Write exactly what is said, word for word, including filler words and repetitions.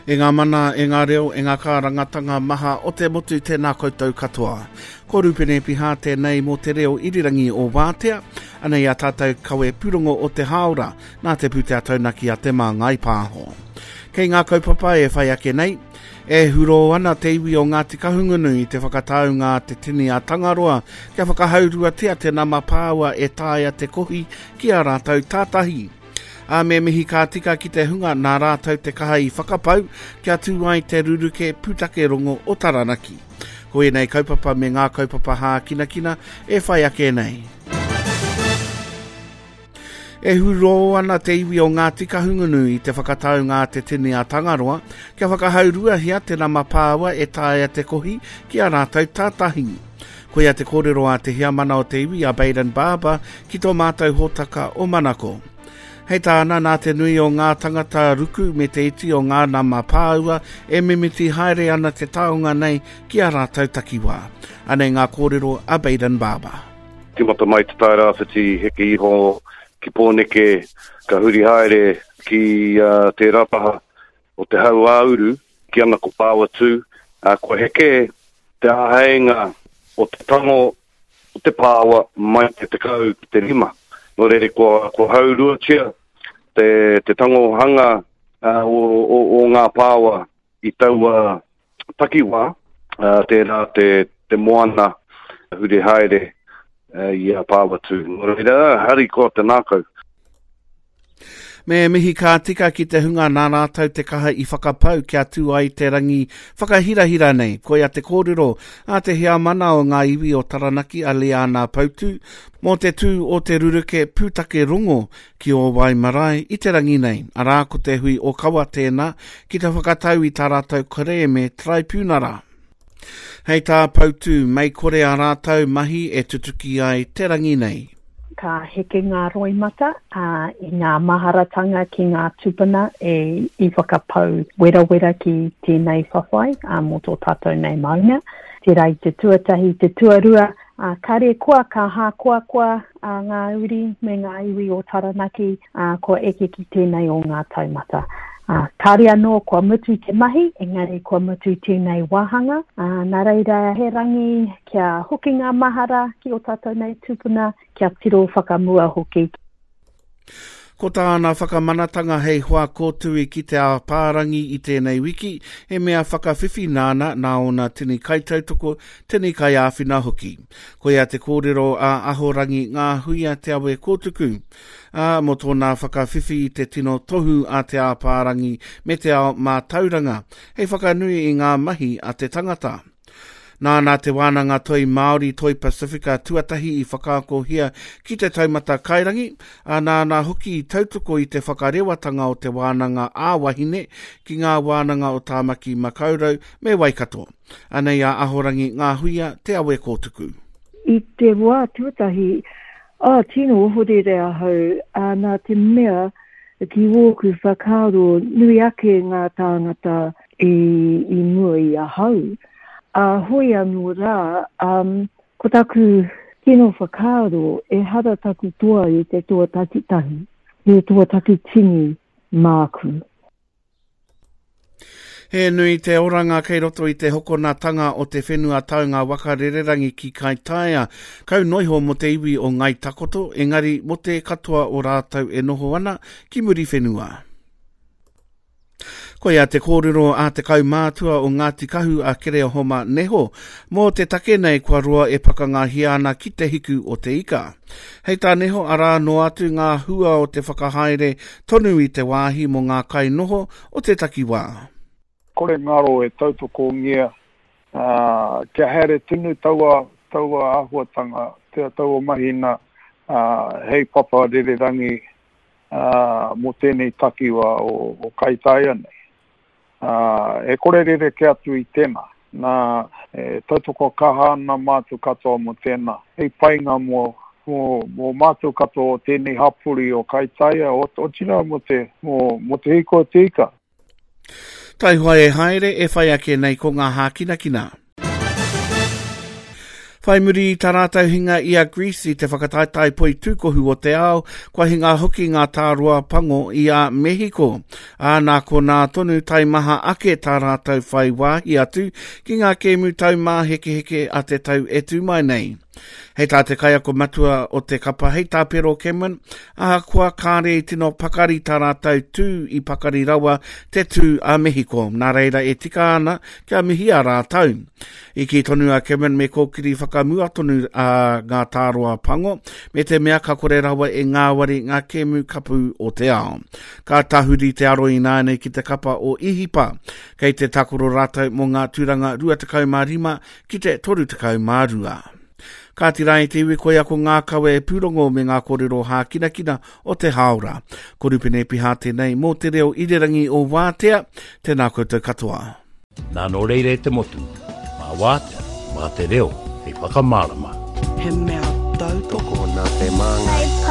E ngā mana, e ngā reo, e ngā kārangatanga maha o te motu tēnā koutou katoa. Ko Rupene Piha tēnei mō te reo irirangi o Wātea, anei a tātou kawe pūrongo o te hāora nā te pūtea taunaki a Te Māngai Pāho. Kei ngā kaupapa e whai ake nei, e huro ana te iwi o Ngāti Kahungunu i te whakataunga a te tini a Tangaroa kia whakahauruatia te nama pāua e taea te kohi ki a rātou tātahi. A me mihi ka tika ki te hunga nā rātou te kaha i whakapau kia tū ai te ruruke pūtake rongo o Taranaki. Ko ēnei kaupapa me ngā kaupapa hākinakina e whai ake nei. E hurō ana te iwi o Ngāti Kahungunu i te whakataunga a te tini a Tangaroa kia whakahauruahia te nama pāua e taea te kohi ki a rātou tātahi. Koia te kōrero a te heamana o te iwi a Bayden Barber ki tō mātou hōtaka o Manako. Hei tāna nā te nui o ngā tangata ruku me te iti o ngā nama pāua e mimiti haere ana te taonga nei ki a rātou takiwā. Anei ngā kōrero a Bayden Barber. Timata mai te Tairāwhiti heke iho ki Pōneke, ka huri haere ki uh, tērā taha o te hau āuru, ki ana ko Pāwatū, uh, kua heke te āheinga o te tango o te pāua mai te tekau ki te rima. Nō reira, kua, kua hauruatia te, te tangohanga uh, o, o, o ngā pāua i taua takiwā, uh, tērā te, te moana huri haere uh, i a Pāwatū. Nō reira, hari koa te nākau. Me mihi ka tika ki te hunga nā rātou te kaha i whakapau kia tū ai te rangi whakahirahira nei. Koia te kōrero a te heamana o ngā iwi o Taranaki a Liana Pautu mō te tū o te ruruke pūtake rongo ki o Waimarae i te rangi nei. Arā ko te hui o kawa tēnā ki te whakatau i tā rātou kerēme traipunara. Hei tā Pautu, mei kore a rātou mahi e tutuki ai te rangi nei. Ka heke ngā roimata uh, i ngā maharatanga ki ngā tupuna e i whakapau werawera ki tēnei whawhai uh, mō tō tātou nei maunga. Tērā i te tuatahi, te tuarua, uh, kare koa ka hākoa koa uh, ngā uri me ngā iwi o Taranaki uh, kua eke ki tēnei o ngā taumata. Uh, kāre anō kua mutu te mahi, engari kua mutu tēnei wāhanga. Uh, nā reira he rangi kia hoki ngā mahara ki o tātou nei tupuna, kia tiro whakamua hoki. Ko tāna whakamanatanga hei hoa kōtui ki te āpārangi i tēnei wiki, he mea whakawhiwhi nāna nā ona tini kaitautoko, tini kaiāwhina hoki. Koia te kōrero a Ahorangi Ngā Huia Te Awe Kōtuku. Ā, mō tōna whakawhiwhi i te tino tohu a te āpārangi me te ao mātauranga, hei whakanui i ngā mahi a te tangata. Nāna te wānanga toi Māori Toi Pasifika tuatahi i whakaakohia ki te taumata kairangi, a nāna hoki i tautoko i te whakarewatanga o te wānanga ā-wahine ki ngā wānanga o Tāmaki Makaurau me Waikato. Anei a Ahorangi Ngā Huia Te Awe Kōtuku. I te wā tuatahi, ā, tino ohorere ahau, ā, nā te mea ki wōku whakaaro nui ake ngā tāngata i, i mua i ahau. Ā, hoi anō rā, um, ko taku tino whakaaro ehara taku toa i te toa takitahi, he toa takitini māku. He nui te oranga kei roto i te hokonatanga o te whenua taunga waka rererangi ki Kaitaia. Kau noiho mō te iwi o Ngai Takoto, engari mō te katoa o rātou e noho ana ki muri whenua. Koia te kōrero a te kaumātua o Ngāti Kahu a Kereohoma Neho mō te take nei kua roa e pakangahia ana ki te hiku o te ika. Hei tā Neho arā noa atu ngā hua o te whakahaere tonu i te wāhi mō ngā kainoho o te takiwā. Kore ngaro e tautokongia uh, kia haere tonu taua, taua āhuatanga, te taua mahina uh, hei papa rererangi uh, mō tēnei takiwā o, o Kaitaia nei. Uh, e kore rere ke atu i tēnā. Nā, e tautoko kaha ana mātou katoa mō tēnā. Hei painga mō, mō, mō mātou katoa o tēnei hapori o Kaitaia, o, otirā mō te, mō, mō te hiko o te ika. Taihoa e haere e whai ake nei ko ngā hākinakina. Whai muri i tā rātou hinga i a Greece i te whakataetae poitūkohu o te ao, kua hinga hoki ngā tāroa pango i a Mehiko. Ā, nā konā tonu taimaha ake tā rātou whai wāhi atu ki ngā kēmu taumāhekeheke a te tau e tū mai nei. Hei tā te kaiako matua o te kapa, hei tā Pero Cameron, ahakoa kāre i tino pakari tā rātou tū i pakari rawa te tū a Mehiko, nā reira e tika ana kia mihia rātou. I kī tonu a Cameron me kōkiri whakamua tonu a ngā tāroa pango, me te mea ka kore rawa e ngāwari ngā kēmu kapu o te ao. Ka tahuri te aro ināianei ki te kapa o Ihipa, kei te takoro rātou mō ngā tūranga rua tekau mā rima ki te toru tekau mā rua. Kāti rā i te iwi koia ko ngā kawe pūrongo me ngā kōrero hākinakina o te hāora. Ko Rupene Piha tēnei mō te reo irirangi o Wātea, tēnā koutou katoa. Nā nō reira e te motu, mā Wātea, mā te reo, hei whakamārama. He mea tautoko nā te māngai.